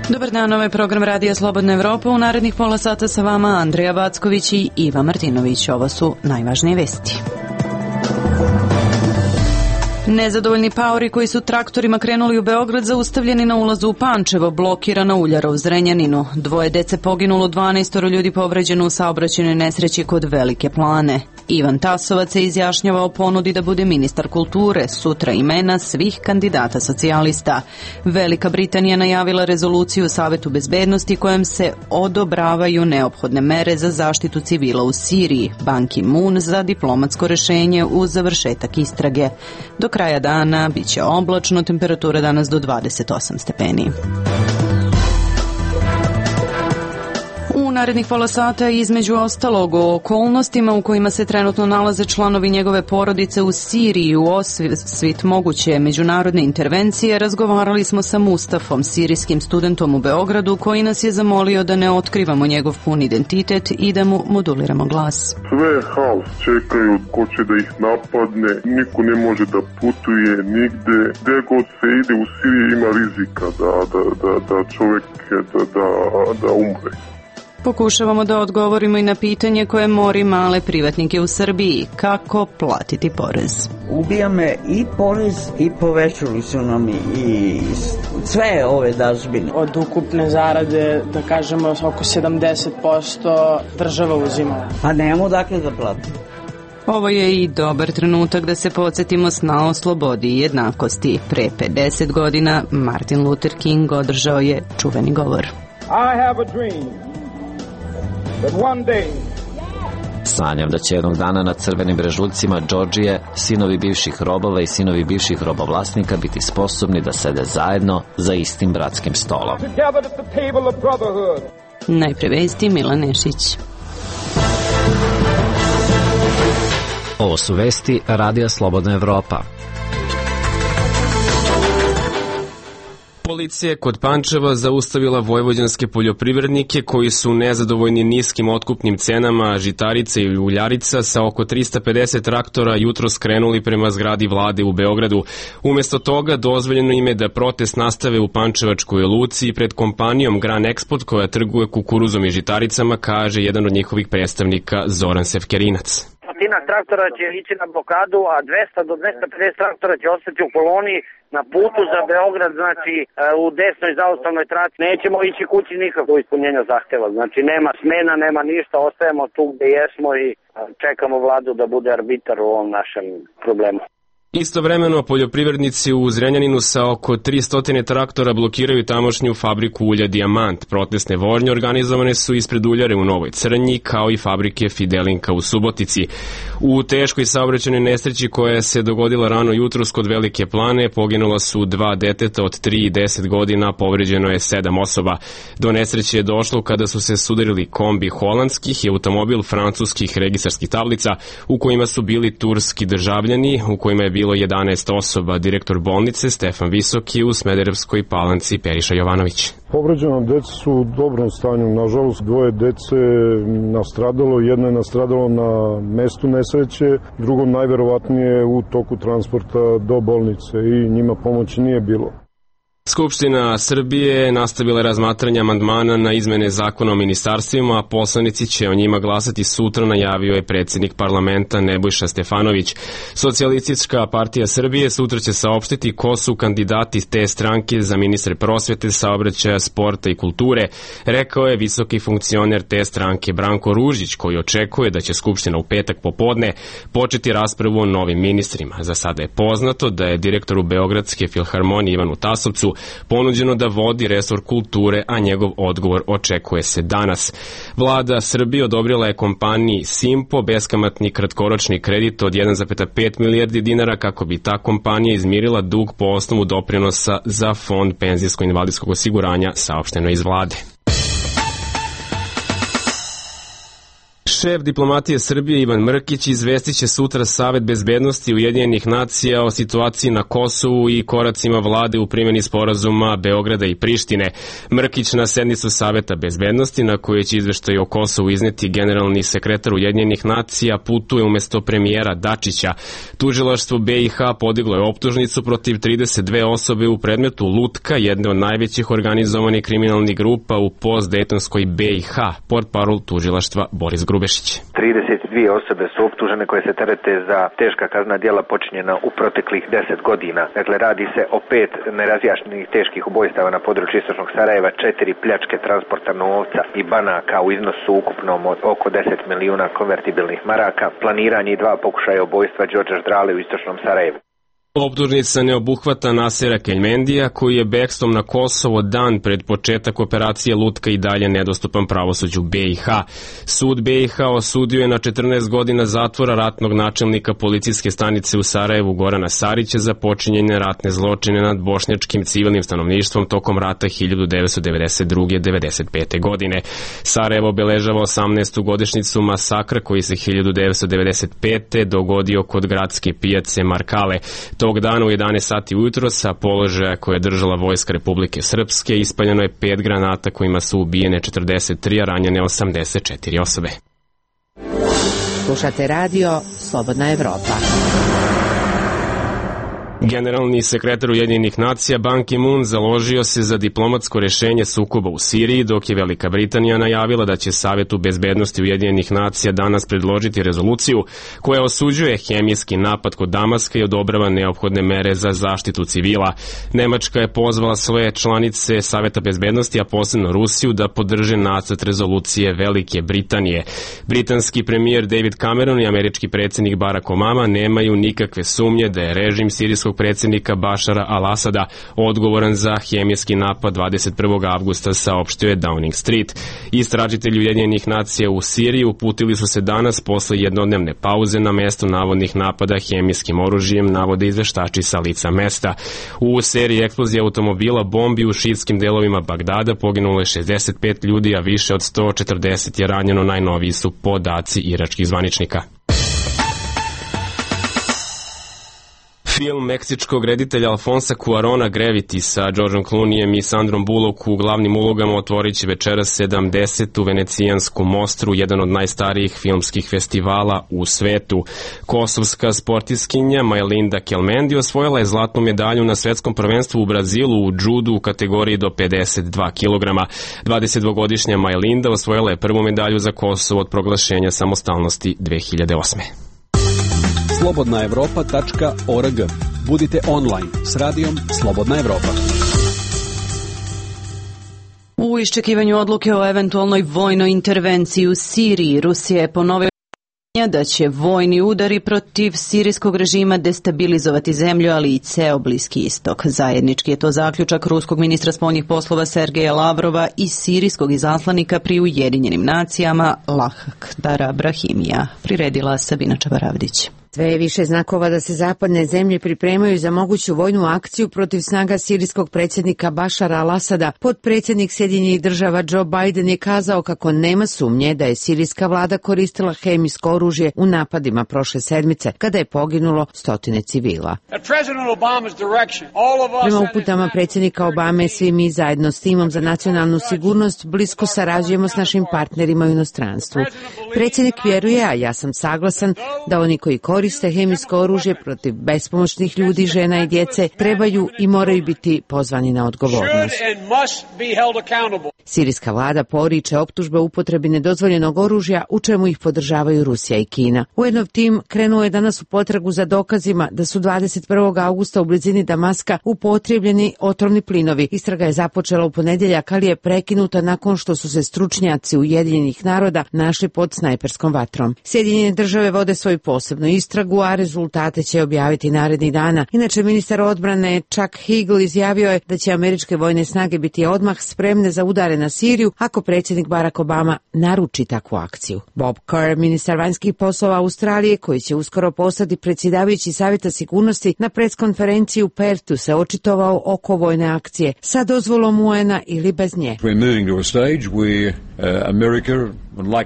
Dobar dan, ovaj program Radija Slobodna Evropa. U narednih pola sata sa vama Andreja Backović i Iva Martinović. Ovo su najvažnije vesti. Nezadovoljni paori koji su traktorima krenuli u Beograd zaustavljeni na ulazu u Pančevo, blokirana uljara u Zrenjaninu. 2 dece poginulo, 12 ljudi povređeno u saobraćajnoj nesreći kod Velike Plane. Ivan Tasovac se izjašnjava o ponudi da bude ministar kulture, sutra imena svih kandidata socijalista. Velika Britanija najavila rezoluciju Savetu bezbednosti kojom se odobravaju neophodne mere za zaštitu civila u Siriji. Ban Ki-moon za diplomatsko rešenje uz završetak istrage. Do kraja dana biće oblačno, temperatura danas do 28 stepeni. U narednih pola sata između ostalog o okolnostima u kojima se trenutno nalaze članovi njegove porodice u Siriji u osvit moguće međunarodne intervencije razgovarali smo sa Mustafom, sirijskim studentom u Beogradu, koji nas je zamolio da ne otkrivamo njegov pun identitet i da mu moduliramo glas. Sve je haos, čekaju ko će da ih napadne, niko ne može da putuje nigde, gde god se ide u Siriji ima rizika da čovek da umre. Pokušavamo da odgovorimo i na pitanje koje mori male privatnike u Srbiji. Kako platiti porez? Ubija me i porez i povećali su nam i sve ove dažbine. Od ukupne zarade, da kažemo, oko 70% država uzima. Pa nemamo dakle da platimo. Ovo je i dobar trenutak da se podsjetimo sna o slobodi i jednakosti. Pre 50 godina Martin Luther King održao je čuveni govor. I have a dream. Sanjam da će jednog dana na crvenim brežuljcima Džordžije sinovi bivših robova i sinovi bivših robovlasnika biti sposobni da sede zajedno za istim bratskim stolom. Najpre vesti, Milan Nešić. Ovo su vesti Radija Slobodna Evropa. Policija je kod Pančeva zaustavila vojvođanske poljoprivrednike koji su nezadovoljni niskim otkupnim cenama žitarica i uljarica sa oko 350 traktora jutros krenuli prema zgradi vlade u Beogradu. Umesto toga dozvoljeno im je da protest nastave u Pančevačkoj luci pred kompanijom Gran Export koja trguje kukuruzom i žitaricama, kaže jedan od njihovih predstavnika Zoran Sevkerinac. Stotina traktora će ići na blokadu, a 200 do 250 traktora će ostati u koloni na putu za Beograd, znači u desnoj zaustavnoj traci. Nećemo ići kući nikako ispunjenja zahteva, znači nema smena, nema ništa, ostajemo tu gde jesmo i čekamo vladu da bude arbitar u ovom našem problemu. Istovremeno, poljoprivrednici u Zrenjaninu sa oko 300 traktora blokiraju tamošnju fabriku ulja Dijamant. Protestne vožnje organizovane su ispred uljare u Novoj Crnji, kao i fabrike Fidelinka u Subotici. U teškoj saobraćajnoj nesreći koja se dogodila rano jutros kod Velike Plane poginula su 2 deteta od 3 i 10 godina, povređeno je 7 osoba. Do nesreće je došlo kada su se sudarili kombi holandskih i automobil francuskih registarskih tablica u kojima su bili turski državljani, u kojima je bilo 11 osoba. Direktor bolnice Stefan Visoki u Smederevskoj Palanci Periša Jovanović. Povređena deca su u dobrom stanju, nažalost 2 dece nastradalo, jedno je nastradalo na mestu nesreće, drugo najverovatnije u toku transporta do bolnice i njima pomoći nije bilo. Skupština Srbije nastavila razmatranje amandmana na izmene zakona o ministarstvima, a poslanici će o njima glasati sutra, najavio je predsjednik parlamenta Nebojša Stefanović. Socijalistička partija Srbije sutra će saopštiti ko su kandidati te stranke za ministre prosvete, saobraćaja, sporta i kulture, rekao je visoki funkcioner te stranke Branko Ružić, koji očekuje da će Skupština u petak popodne početi raspravu o novim ministrima. Za sada je poznato da je direktoru Beogradske filharmonije Ivanu Tasovcu ponuđeno da vodi resor kulture, a njegov odgovor očekuje se danas. Vlada Srbije odobrila je kompaniji Simpo beskamatni kratkoročni kredit od 1,5 milijardi dinara kako bi ta kompanija izmirila dug po osnovu doprinosa za fond penzijsko-invalidskog osiguranja, saopšteno iz vlade. Šef diplomatije Srbije Ivan Mrkić izvestiće sutra Savet bezbednosti Ujedinjenih nacija o situaciji na Kosovu i koracima vlade u primjeni sporazuma Beograda i Prištine. Mrkić na sednicu Saveta bezbednosti, na kojoj će izveštaj o Kosovu izneti generalni sekretar Ujedinjenih nacija, putuje umjesto premijera Dačića. Tužilaštvo BiH podiglo je optužnicu protiv 32 osobe u predmetu Lutka, jedne od najvećih organizovanih kriminalnih grupa u postdejtonskoj BiH. Portparol tužilaštva Boris Grubešić. 32 osobe su optužene koje se terete za teška kaznena djela počinjena u proteklih 10 godina. Dakle, radi se o 5 nerazjašnjenih teških ubojstava na području istočnog Sarajeva, 4 pljačke transporta novca i banaka u iznosu ukupnom od oko 10 milijuna konvertibilnih maraka, planiranje i 2 pokušaja ubojstva Đorđa Ždrale u istočnom Sarajevu. Optužnica ne obuhvata Nasera Keljmendija, koji je bekstvom na Kosovo dan pred početak operacije Lutka i dalje nedostupan pravosuđu BiH. Sud BiH osudio je na 14 godina zatvora ratnog načelnika policijske stanice u Sarajevu Gorana Sarića za počinjenje ratne zločine nad bošnjačkim civilnim stanovništvom tokom rata 1992-95. godine. Sarajevo obeležava 18. godišnjicu masakra koji se 1995. dogodio kod gradske pijace Markale. Tog dana u 11 sati ujutro sa položaja koje je držala Vojska Republike Srpske ispaljeno je 5 granata kojima su ubijene 43, a ranjene 84 osobe. Slušate radio Slobodna Evropa. Generalni sekretar Ujedinjenih nacija Ban Ki-moon založio se za diplomatsko rješenje sukoba u Siriji, dok je Velika Britanija najavila da će Savetu bezbednosti Ujedinjenih nacija danas predložiti rezoluciju koja osuđuje hemijski napad kod Damaska i odobrava neophodne mere za zaštitu civila. Nemačka je pozvala svoje članice Saveta bezbednosti, a posebno Rusiju, da podrže nacrt rezolucije Velike Britanije. Britanski premijer David Cameron i američki predsjednik Barack Obama nemaju nikakve sumnje da je režim sirijskog predsjednika Bašara al-Asada odgovoran za hemijski napad 21. avgusta, saopštio je Downing Street. Istražitelji Ujedinjenih nacija u Siriji uputili su se danas posle jednodnevne pauze na mesto navodnih napada hemijskim oružjem, navode izveštači sa lica mesta. U seriji eksplozije automobila bombi u šiitskim delovima Bagdada poginulo je 65 ljudi, a više od 140 je ranjeno, najnoviji su podaci iračkih zvaničnika. Film meksičkog reditelja Alfonsa Cuarona Gravity sa Georgeom Clooneyem i Sandrom Bullock u glavnim ulogama otvorit će večeras 70. venecijansku mostru, jedan od najstarijih filmskih festivala u svetu. Kosovska sportiskinja Majlinda Kelmendi osvojila je zlatnu medalju na svetskom prvenstvu u Brazilu u džudu u kategoriji do 52 kg. 22-godišnja Majlinda osvojila je prvu medalju za Kosovo od proglašenja samostalnosti 2008. slobodnaevropa.org. Budite online s radijom Slobodna Evropa. U iščekivanju odluke o eventualnoj vojnoj intervenciji u Siriji, Rusija je ponovila da će vojni udari protiv sirijskog režima destabilizovati zemlju, ali i ceo Bliski istok. Zajednički je to zaključak ruskog ministra spoljnih poslova Sergeja Lavrova i sirijskog izaslanika pri Ujedinjenim nacijama Lakhdara Brahimija. Priredila Sabina Čabaravdić. Sve je više znakova da se zapadne zemlje pripremaju za moguću vojnu akciju protiv snaga sirijskog predsjednika Bašara al-Asada. Potpredsjednik Sjedinjenih država Joe Biden je kazao kako nema sumnje da je sirijska vlada koristila hemijsko oružje u napadima prošle sedmice, kada je poginulo stotine civila. Prema uputama predsjednika Obame, svi mi zajedno s timom za nacionalnu sigurnost blisko sarađujemo s našim partnerima u inostranstvu. Predsjednik vjeruje, a ja sam saglasan, da oni koji koriste hemijsko oružje protiv bespomoćnih ljudi, žena i djece trebaju i moraju biti pozvani na odgovornost. Sirijska vlada poriče optužbe o upotrebi nedozvoljenog oružja, u čemu ih podržavaju Rusija i Kina. UN-ov tim krenuo je danas u potragu za dokazima da su 21. augusta u blizini Damaska upotrijebljeni otrovni plinovi. Istraga je započela u ponedjeljak, ali je prekinuta nakon što su se stručnjaci Ujedinjenih naroda našli pod snajperskom vatrom. Sjedinjene države vode svoju posebnu istragu, a rezultate će objaviti narednih dana. Inače, ministar odbrane Chuck Hagel izjavio je da će američke vojne snage biti odmah spremne za udare na Siriju ako predsjednik Barack Obama naruči takvu akciju. Bob Kerr, ministar vanjskih poslova Australije, koji će uskoro postati predsjedavajući Savjeta sigurnosti, na preskonferenciji u Perthu se očitovao oko vojne akcije sa dozvolom UN-a ili bez nje. We're moving to a stage where America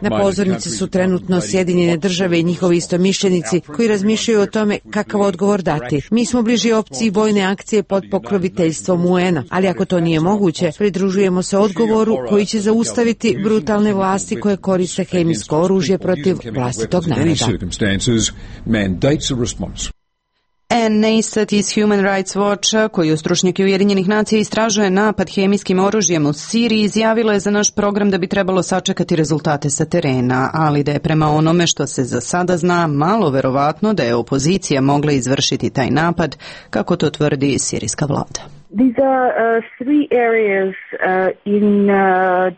Na pozornici su trenutno Sjedinjene države i njihovi istomišljenici koji razmišljaju o tome kakav odgovor dati. Mi smo bliži opciji vojne akcije pod pokroviteljstvom UN-a, ali ako to nije moguće, pridružujemo se odgovoru koji će zaustaviti brutalne vlasti koje koriste hemijsko oružje protiv vlastitog naroda. NASAT iz Human Rights Watcha, koju stručnjaki Ujedinjenih nacija istražuje napad hemijskim oružjem u Siriji, izjavilo je za naš program da bi trebalo sačekati rezultate sa terena, ali da je prema onome što se za sada zna malo verovatno da je opozicija mogla izvršiti taj napad, kako to tvrdi sirijska vlada. These are three areas in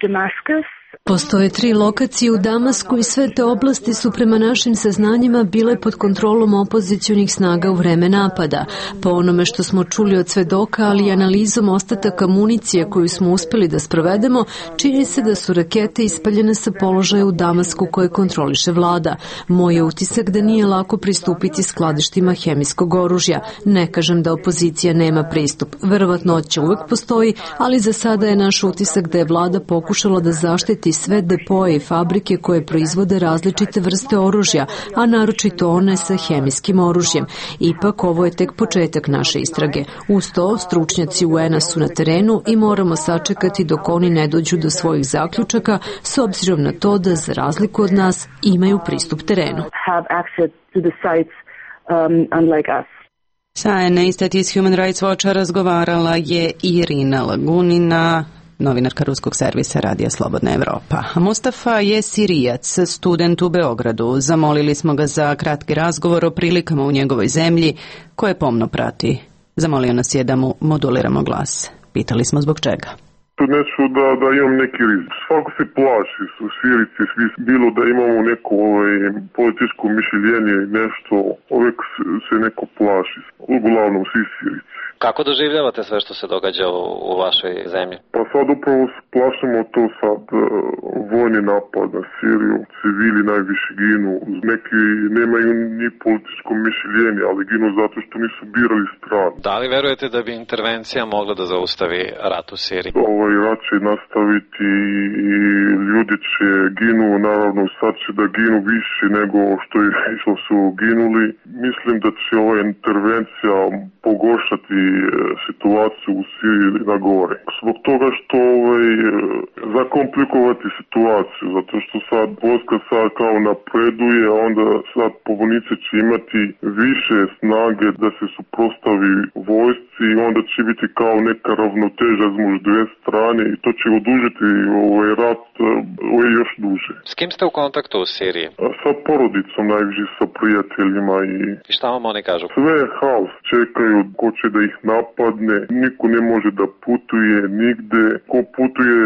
Damascus. Postoje 3 lokacije u Damasku i sve te oblasti su prema našim saznanjima bile pod kontrolom opozicionih snaga u vreme napada. Po onome što smo čuli od svedoka, ali i analizom ostataka municije koju smo uspeli da sprovedemo, čini se da su rakete ispaljene sa položaja u Damasku koje kontroliše vlada. Moj je utisak da nije lako pristupiti skladištima hemijskog oružja. Ne kažem da opozicija nema pristup. Verovatnoća uvek postoji, ali za sada je naš utisak da je vlada pokušala da zaštiti sve depoje i fabrike koje proizvode različite vrste oružja, a naročito one sa hemijskim oružjem. Ipak, ovo je tek početak naše istrage. Uz to, stručnjaci UN-a su na terenu i moramo sačekati dok oni ne dođu do svojih zaključaka, s obzirom na to da, za razliku od nas, imaju pristup terenu. Sa NASAT iz Human Rights Watcha razgovarala je Irina Lagunina, novinarka ruskog servisa Radija Slobodna Evropa. Mustafa je Sirijac, student u Beogradu. Zamolili smo ga za kratki razgovor o prilikama u njegovoj zemlji, koje pomno prati. Zamolio nas je da mu moduliramo glas. Pitali smo zbog čega. Neću da imam neki rizik. Svako se plaši, su Sirici, svi bilo da imamo neko političko mišljenje i nešto, uvijek se neko plaši. Uglavnom svi Sirici. Kako doživljavate sve što se događa u vašoj zemlji? Pa sad upravo plašimo to sad vojni napad na Siriju. Civili najviše ginu. Neki nemaju ni političko mišljenje, ali ginu zato što nisu birali stranu. Da li verujete da bi intervencija mogla da zaustavi rat u Siriji? Ovaj rat će nastaviti i ljudi će ginu, naravno sad će da ginu više nego što su ginuli. Mislim da će ova intervencija pogoršati situaciju u Siriji na gore. Zbog toga što zakomplikovati situaciju, zato što sad vojska sad kao napreduje, onda sad pobunice će imati više snage da se suprotstavi vojsci i onda će biti kao neka ravnoteža između dve strane i to će odužiti ovaj rat još duže. S kim ste u kontaktu u Siriji? Sa porodicom, najviše sa prijateljima i šta vam oni kažu? Sve je haos, čekaju ko će da ih napadne, niko ne može da putuje nigde, ko putuje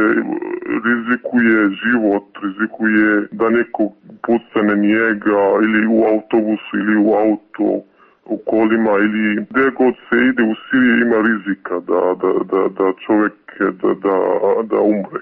rizikuje život, rizikuje da neko pucane njega ili u autobusu ili u auto, u kolima ili gdje god se ide u Siriji ima rizika da čovjek da umre.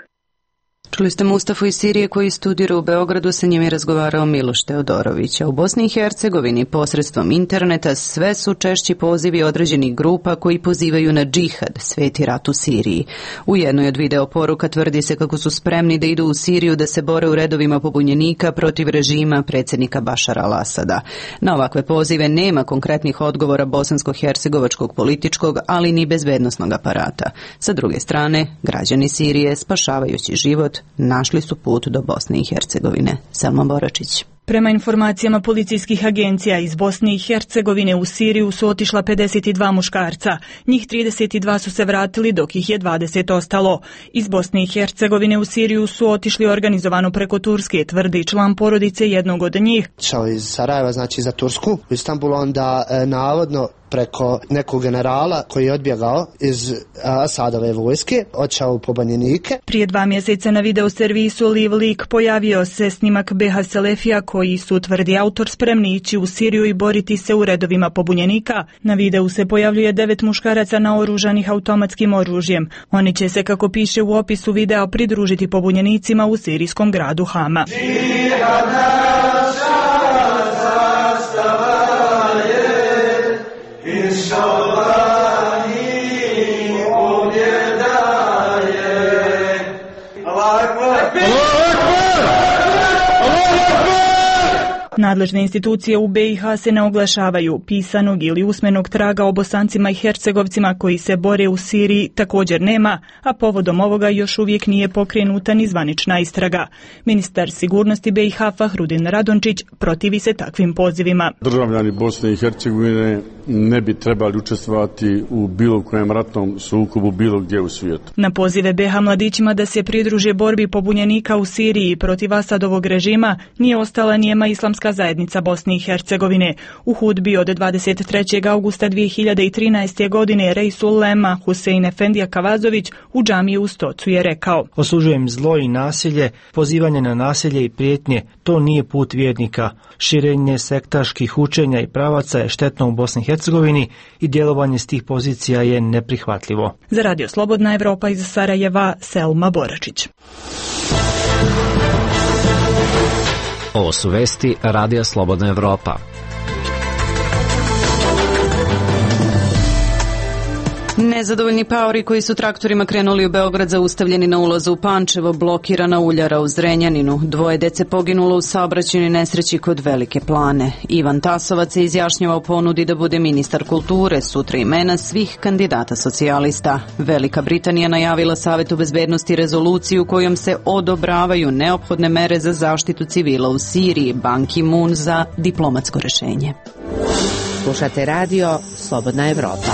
Čuli ste Mustafu iz Sirije koji studira u Beogradu, sa njim je razgovarao Miloš Teodorović. U Bosni i Hercegovini posredstvom interneta sve su češći pozivi određenih grupa koji pozivaju na džihad, sveti rat u Siriji. U jednoj od video poruka tvrdi se kako su spremni da idu u Siriju da se bore u redovima pobunjenika protiv režima predsjednika Bašara al-Asada. Na ovakve pozive nema konkretnih odgovora bosansko-hercegovačkog političkog, ali ni bezbednosnog aparata. Sa druge strane, građani Sirije, spašavajući život, našli su put do Bosne i Hercegovine. Selma Boračić. Prema informacijama policijskih agencija iz Bosne i Hercegovine u Siriju su otišla 52 muškarca. Njih 32 su se vratili dok ih je 20 ostalo. Iz Bosne i Hercegovine u Siriju su otišli organizovano preko Turske, tvrdi član porodice jednog od njih. Šao iz Sarajeva, znači za Tursku, u Istanbulu, onda navodno preko nekog generala koji je odbjegao iz Asadove vojske, odšao u pobunjenike. Prije 2 mjeseca na video servisu Live Leak pojavio se snimak Beha Selefija koji su, tvrdi autor, spremni ići u Siriju i boriti se u redovima pobunjenika. Na videu se pojavljuje 9 muškaraca naoružanih automatskim oružjem. Oni će se, kako piše u opisu videa, pridružiti pobunjenicima u sirijskom gradu Hama. Nadležne institucije u BiH se ne oglašavaju. Pisanog ili usmenog traga o Bosancima i Hercegovcima koji se bore u Siriji također nema, a povodom ovoga još uvijek nije pokrenuta ni zvanična istraga. Ministar sigurnosti BiH Fahrudin Radončić protivi se takvim pozivima. Državljani Bosne i Hercegovine ne bi trebali učestvovati u bilo kojem ratnom sukobu bilo gdje u svijetu. Na pozive BiH mladićima da se pridruže borbi pobunjenika u Siriji protiv Asadovog režima nije ostala nijema Islamska zajednica Bosne i Hercegovine. U hudbi od 23. augusta 2013. godine Reisul Ulema Husein Efendija Kavazović u džamiji u Stocu je rekao: Osuđujem zlo i nasilje, pozivanje na nasilje i prijetnje, to nije put vjernika. Širenje sektaških učenja i pravaca je štetno u Bosni i Hercegovini i djelovanje s tih pozicija je neprihvatljivo. Za Radio Slobodna Evropa iz Sarajeva, Selma Boračić. Ovo su vesti Radija Slobodna Evropa. Nezadovoljni paori koji su traktorima krenuli u Beograd zaustavljeni na ulazu u Pančevo, blokirana uljara u Zrenjaninu. 2 dece poginulo u saobraćajnoj nesreći kod Velike Plane. Ivan Tasovac se izjašnjava o ponudi da bude ministar kulture, sutra imena svih kandidata socijalista. Velika Britanija najavila Savetu bezbednosti rezoluciju kojom se odobravaju neophodne mere za zaštitu civila u Siriji, Ban Ki-moon za diplomatsko rešenje. Slušate radio Slobodna Evropa.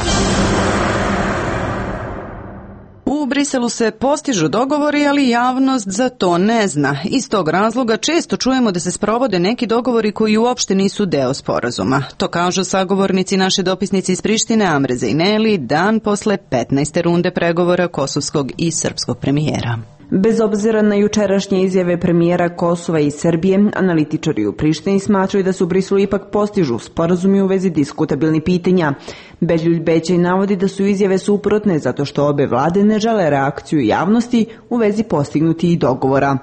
U Briselu se postižu dogovori, ali javnost za to ne zna. Iz tog razloga često čujemo da se sprovode neki dogovori koji uopšte nisu deo sporazuma. To kažu sagovornici naše dopisnice iz Prištine Amre Zejneli dan posle 15. runde pregovora kosovskog i srpskog premijera. Bez obzira na jučerašnje izjave premijera Kosova i Srbije, analitičari u Prištini smatraju da su u Briselu ipak postižu sporazumi u vezi diskutabilnih pitanja. Beljulj Bećaj navodi da su izjave suprotne zato što obe vlade ne žele reakciju javnosti u vezi postignuti dogovora.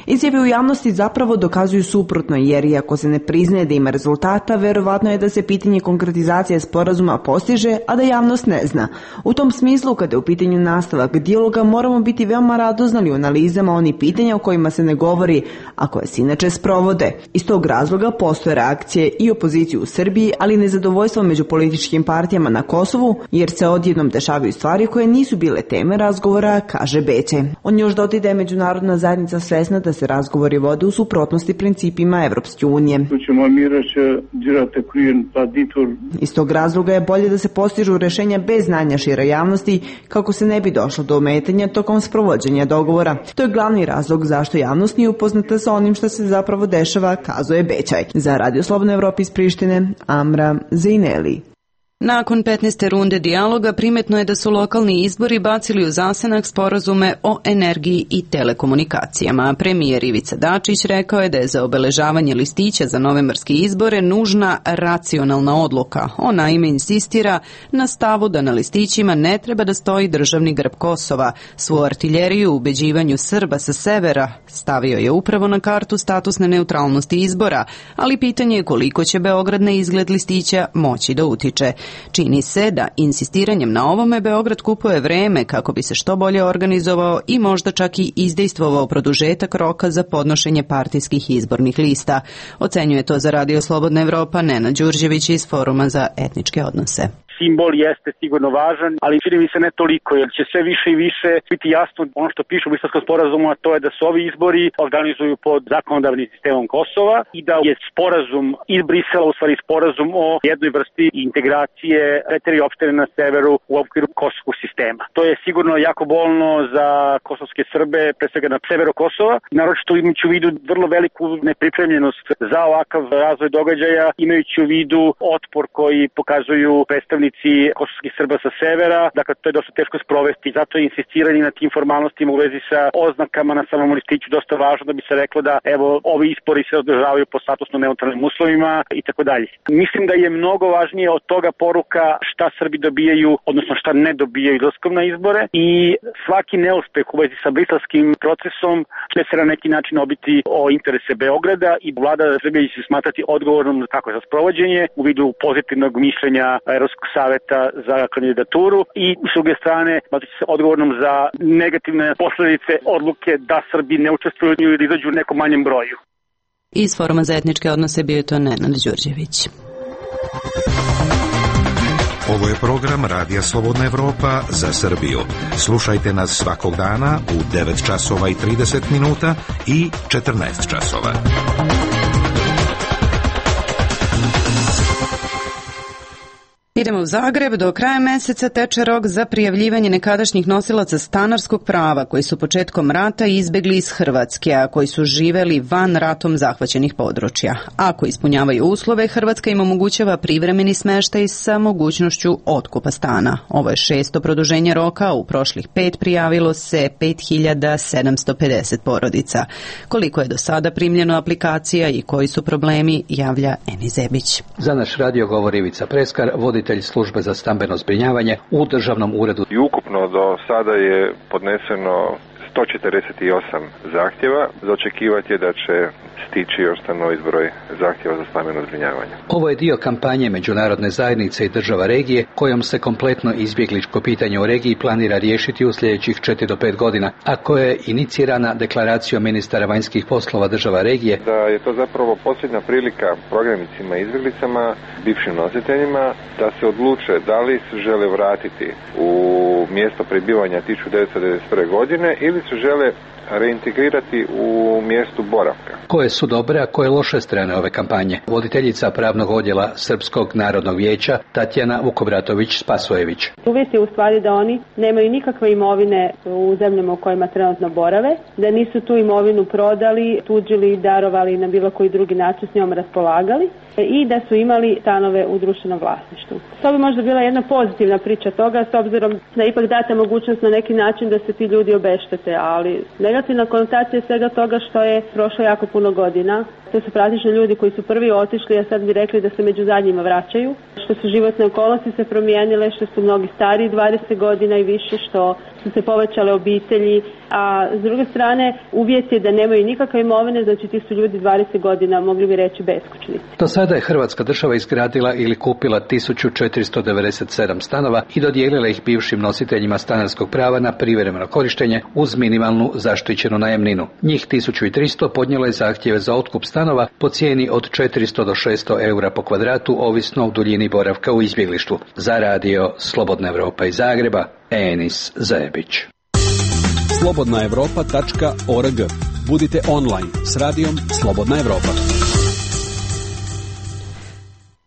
Izjave u javnosti zapravo dokazuju suprotno, jer iako se ne priznaje da ima rezultata, verovatno je da se pitanje konkretizacije sporazuma postiže, a da javnost ne zna. U tom smislu, kada je u pitanju nastavak dijaloga, moramo biti veoma radoznali u analizama onih pitanja o kojima se ne govori, a koje se inače sprovode. Iz tog razloga postoje reakcije i opozicije u Srbiji, ali i nezadovoljstvo među političkim partijama na Kosovu, jer se odjednom dešavaju stvari koje nisu bile teme razgovora, kaže Bećaj. On još dodao da je međunarodna zajednica svesna da se razgovori vode u suprotnosti principima Evropske unije. Iz tog razloga je bolje da se postižu rešenja bez znanja šire javnosti kako se ne bi došlo do ometanja tokom sprovođenja dogovora. To je glavni razlog zašto javnost nije upoznata sa onim što se zapravo dešava, kazuje Bećaj. Za Radio Slobodna Evropa iz Prištine, Amra Zejneli. Nakon 15. runde dijaloga primetno je da su lokalni izbori bacili u zasenak sporazume o energiji i telekomunikacijama. Premijer Ivica Dačić rekao je da je za obeležavanje listića za novembarske izbore nužna racionalna odluka. On naime insistira na stavu da na listićima ne treba da stoji državni grb Kosova. Svu artiljeriju u ubeđivanju Srba sa severa stavio je upravo na kartu statusne neutralnosti izbora, ali pitanje je koliko će Beograd na izgled listića moći da utiče. Čini se da insistiranjem na ovome Beograd kupuje vreme kako bi se što bolje organizovao i možda čak i izdejstvovao produžetak roka za podnošenje partijskih izbornih lista. Ocenjuje to za Radio Slobodna Evropa Nenad Đurđević iz Foruma za etničke odnose. Simbol jeste sigurno važan, ali čini mi se ne toliko, jer će sve više i više biti jasno ono što piše u Briselskom sporazumu, a to je da se ovi izbori organizuju pod zakonodavnim sistemom Kosova i da je sporazum iz Brisela u stvari sporazum o jednoj vrsti integracije 4 opštine na severu u okviru kosovskog sistema. To je sigurno jako bolno za kosovske Srbe, pre svega na severu Kosova, naročito imajući u vidu vrlo veliku nepripremljenost za ovakav razvoj događaja, imajući u vidu otpor koji pokazuju predstavnici kosovskih Srba sa severa, dakle to je dosta teško sprovesti, zato je insistiranje na tim formalnostima u vezi sa oznakama na samom listiću dosta važno da bi se reklo da evo ovi izbori se održavaju po statusno neutralnim uslovima i tako dalje. Mislim da je mnogo važnije od toga poruka šta Srbi dobijaju, odnosno šta ne dobijaju izlaskom na izbore i svaki neuspeh u vezi sa briselskim procesom će se na neki način obiti o interese Beograda i vlada Srbije će se smatrati odgovornom kako za sprovođenje u vidu pozitivnog mišljenja Evropskog saveta za kandidaturu i s druge strane smatraće se odgovornom za negativne posledice odluke da Srbi ne učestvuju ili izađu u nekom manjem broju. Iz Foruma za etničke odnose bio je to Nenad Đurđević. Ovo je program Radija Slobodna Evropa za Srbiju. Slušajte nas svakog dana u 9 časova i 30 minuta i 14 časova. Idemo u Zagreb. Do kraja meseca teče rok za prijavljivanje nekadašnjih nosilaca stanarskog prava koji su početkom rata izbegli iz Hrvatske, a koji su živeli van ratom zahvaćenih područja. Ako ispunjavaju uslove, Hrvatska im omogućava privremeni smeštaj sa mogućnošću otkupa stana. Ovo je 6. produženje roka, u prošlih 5 prijavilo se 5750 porodica. Koliko je do sada primljeno aplikacija i koji su problemi, javlja Eni Zebić. Za naš radio govori Ivica Preskar, voditelj službe za stambeno zbrinjavanje u Državnom uredu. I ukupno do sada je podneseno 148 zahtjeva. Za očekivati je da će stići još novi broj zahtjeva za stambeno zbrinjavanje. Ovo je dio kampanje međunarodne zajednice i država regije kojom se kompletno izbjegličko pitanje u regiji planira riješiti u sljedećih 4 do 5 godina, a koja je inicirana deklaracijom ministara vanjskih poslova država regije. Da je to zapravo posljednja prilika prognanicima i izbjeglicama, bivšim nositeljima, da se odluče da li se žele vratiti u mjesto prebivanja 1991. godine ili se žele reintegrirati u mjestu boravka. Koje su dobre, a koje loše strane ove kampanje? Voditeljica pravnog odjela Srpskog narodnog vijeća Tatjana Vukobratović-Spasojević. Uvjet je u stvari da oni nemaju nikakve imovine u zemljama u kojima trenutno borave, da nisu tu imovinu prodali, tuđili, darovali na bilo koji drugi način s njom raspolagali i da su imali stanove u društvenom vlasništvu. To bi možda bila jedna pozitivna priča toga, s obzirom da ipak date mogućnost na neki način da se ti ljudi obeštete, ali negativna konotacija svega toga što je prošlo jako puno godina. To su praktično ljudi koji su prvi otišli, a sad bi rekli da se među zadnjima vraćaju, što su životne okolnosti se promijenile, što su mnogi stariji 20 godina i više, što su se povećale obitelji, a s druge strane uvjet je da nemaju nikakve imovine, znači ti su ljudi 20 godina, mogli bi reći, beskućnici. Do sada je Hrvatska država izgradila ili kupila 1497 stanova i dodijelila ih bivšim nositeljima stanarskog prava na privremeno korištenje uz minimalnu zaštićenu najamninu. Njih 1300 podnijelo je zahtjeve za otkup stanova po cijeni od 400 do 600 eura po kvadratu, ovisno o duljini boravka u izbjeglištvu. Za radio Slobodna Evropa iz Zagreba, Enis Zebić. slobodnaevropa.org. Budite online s radijom Slobodna Evropa.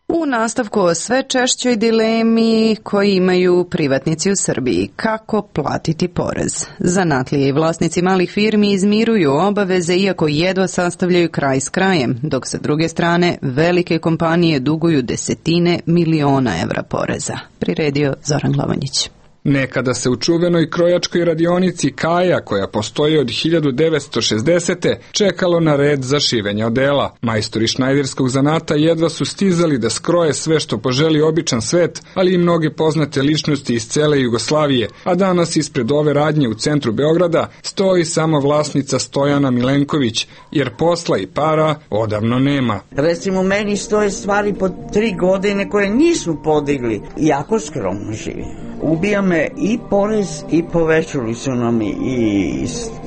U nastavku o sve češćoj dilemi koji imaju privatnici u Srbiji. Kako platiti porez? Zanatlije i vlasnici malih firmi izmiruju obaveze iako jedva sastavljaju kraj s krajem, dok sa druge strane velike kompanije duguju desetine miliona evra poreza. Priredio Zoran Glavanjić. Nekada se u čuvenoj krojačkoj radionici Kaja, koja postoji od 1960. čekalo na red za šivenje odela. Majstori šnajderskog zanata jedva su stizali da skroje sve što poželi običan svet, ali i mnoge poznate ličnosti iz cele Jugoslavije, a danas ispred ove radnje u centru Beograda stoji samo vlasnica Stojana Milenković, jer posla i para odavno nema. Recimo, meni stoje stvari po 3 godine koje nisu podigli. Jako skromno živim. Ubija me i porez i povećali su nam i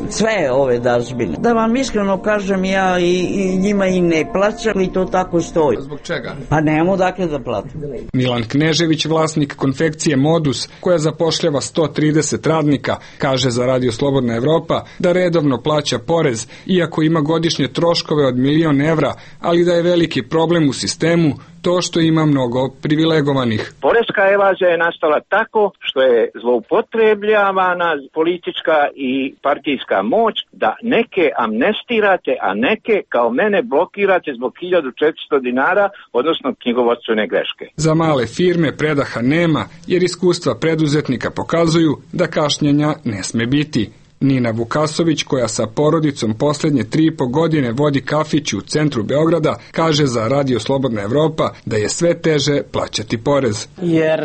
sve ove dažbine. Da vam iskreno kažem, ja i njima i ne plaćam i to tako stoji. Zbog čega? Pa nemamo dakle da platim. Milan Knežević, vlasnik konfekcije Modus, koja zapošljava 130 radnika, kaže za Radio Slobodna Evropa da redovno plaća porez, iako ima godišnje troškove od 1.000.000 evra, ali da je veliki problem u sistemu to što ima mnogo privilegovanih. Poreska evazija je nastala tako što je zloupotrebljavana politička i partijska moć da neke amnestirate, a neke kao mene blokirate zbog 1400 dinara, odnosno knjigovodstvene greške. Za male firme predaha nema, jer iskustva preduzetnika pokazuju da kašnjenja ne sme biti. Nina Vukasović, koja sa porodicom posljednje 3,5 godine vodi kafić u centru Beograda, kaže za Radio Slobodna Evropa da je sve teže plaćati porez. Jer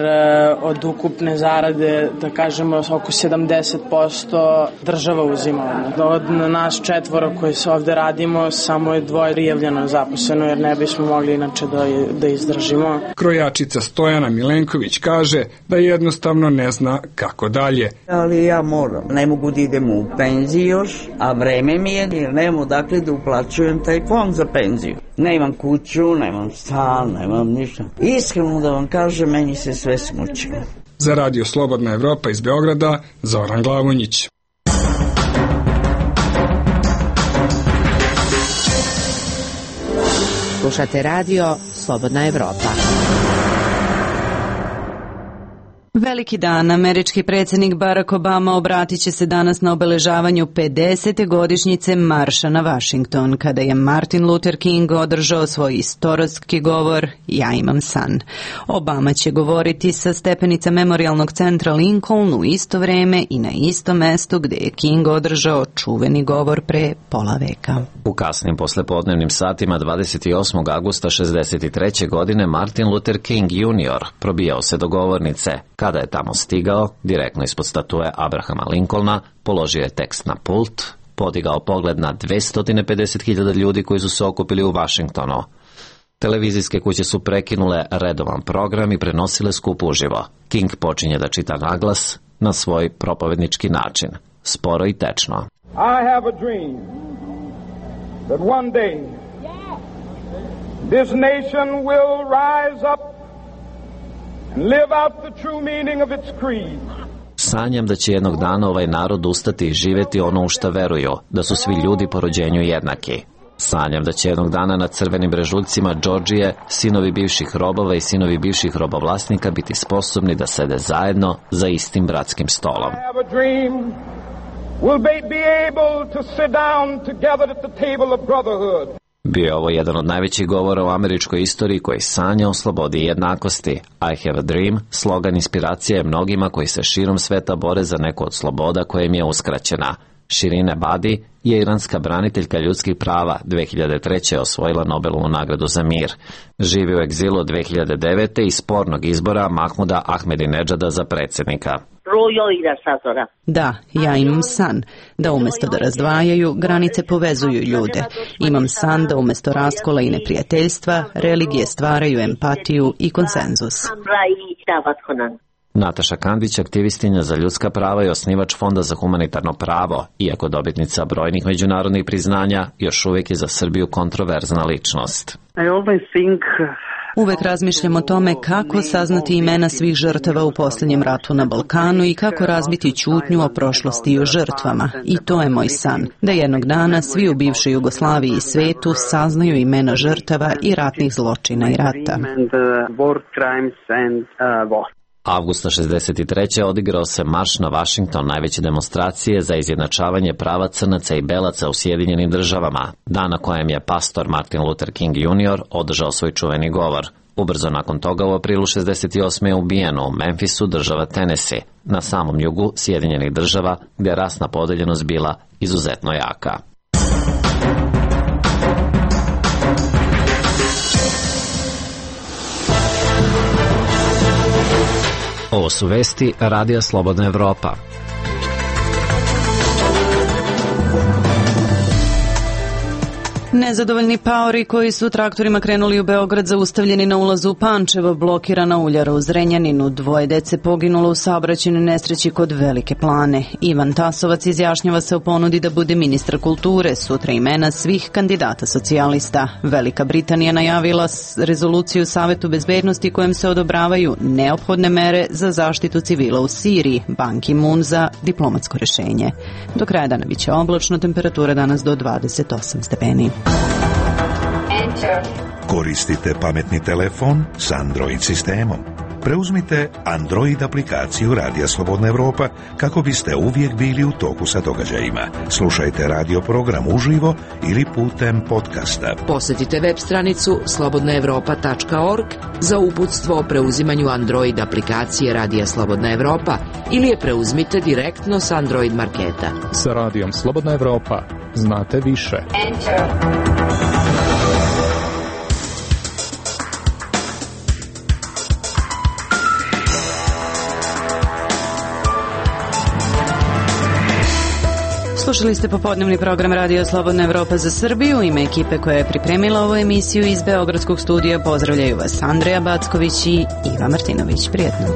od ukupne zarade, da kažemo, oko 70% država uzima. Od nas 4 koji se ovde radimo, samo je 2 prijavljeno zaposleno, jer ne bismo mogli inače da izdržimo. Krojačica Stojana Milenković kaže da jednostavno ne zna kako dalje. Ali ja moram, ne mogu da idem u penziju još, a vreme mi je jer nemam odakle da uplaćujem taj fond za penziju. Nemam kuću, nemam stan, nemam ništa. Iskreno da vam kažem, meni se sve smučilo. Za Radio Slobodna Evropa iz Beograda, Zoran Glavonjić. Slušate radio Slobodna Evropa. Veliki dan. Američki predsjednik Barack Obama obratit će se danas na obeležavanju 50. godišnjice marša na Washington, kada je Martin Luther King održao svoj istorijski govor Ja imam san. Obama će govoriti sa stepenica Memorialnog centra Lincoln u isto vreme i na istom mestu gdje je King održao čuveni govor pre pola veka. U kasnim poslepodnevnim satima 28. augusta 63. godine Martin Luther King Jr. probijao se do govornice. Kada je tamo stigao, direktno ispod statue Abrahama Lincolna, položio je tekst na pult, podigao pogled na 250.000 ljudi koji su se okupili u Washingtonu. Televizijske kuće su prekinule redovan program i prenosile skup uživo. King počinje da čita naglas na svoj propovednički način, sporo i tečno. I have a dream that one day this nation will rise up and live out the true meaning of its creed. Sanjam da će jednog dana ovaj narod ustati i živjeti ono u šta veruju, da su svi ljudi po rođenju jednaki. Sanjam da će jednog dana na crvenim brežuljcima Džordžije sinovi bivših robova i sinovi bivših robovlasnika biti sposobni da sede zajedno za istim bratskim stolom. I have a dream we'll be able to sit down together at the table of brotherhood. Bio je ovo jedan od najvećih govora u američkoj istoriji koji sanja o slobodi i jednakosti. I have a dream, slogan inspiracije je mnogima koji se širom sveta bore za neku od sloboda koja im je uskraćena. Shirin Ebadi je iranska braniteljka ljudskih prava, 2003. je osvojila Nobelovu nagradu za mir. Živi u egzilu od 2009. i spornog izbora Mahmuda Ahmedinedžada za predsjednika. Da, ja imam san, da umjesto da razdvajaju, granice povezuju ljude. Imam san da umjesto raskola i neprijateljstva, religije stvaraju empatiju i konsenzus. Nataša Kandić, aktivistinja za ljudska prava i osnivač Fonda za humanitarno pravo, iako dobitnica brojnih međunarodnih priznanja, još uvijek je za Srbiju kontroverzna ličnost. Uvek razmišljam o tome kako saznati imena svih žrtava u posljednjem ratu na Balkanu i kako razbiti ćutnju o prošlosti i o žrtvama. I to je moj san, da jednog dana svi u bivšoj Jugoslaviji i svetu saznaju imena žrtava i ratnih zločina i rata. Avgusta 63. odigrao se marš na Washington, najveće demonstracije za izjednačavanje prava crnaca i belaca u Sjedinjenim državama, dan na kojem je pastor Martin Luther King Jr. održao svoj čuveni govor. Ubrzo nakon toga u aprilu 68. je ubijeno u Memphisu, država Tennessee, na samom jugu Sjedinjenih država, gdje je rasna podeljenost bila izuzetno jaka. Ovo su vesti Radija Slobodna Evropa. Nezadovoljni paori koji su traktorima krenuli u Beograd zaustavljeni na ulazu u Pančevo, blokirana uljara u Zrenjaninu, 2 dece poginulo u saobraćajnoj nesreći kod Velike Plane. Ivan Tasovac izjašnjava se o ponudi da bude ministar kulture, sutra imena svih kandidata socijalista. Velika Britanija najavila rezoluciju Savetu bezbednosti kojom se odobravaju neophodne mere za zaštitu civila u Siriji, Ban Ki-moon za diplomatsko rješenje. Do kraja dana biće oblačno, temperatura danas do 28 stepeni. Koristite pametni telefon s Android sistemom. preuzmite Android aplikaciju Radija Slobodna Evropa kako biste uvijek bili u toku sa događajima. Slušajte radio program uživo ili putem podcasta. Posjetite web stranicu slobodnaevropa.org za uputstvo o preuzimanju Android aplikacije Radija Slobodna Evropa ili je preuzmite direktno s Android marketa. Sa Radijom Slobodna Evropa znate više. Slušali ste popodnevni program Radio Slobodna Evropa za Srbiju. Ime ekipe koja je pripremila ovu emisiju iz Beogradskog studija pozdravljaju vas Andreja Backović i Iva Martinović. Prijetno.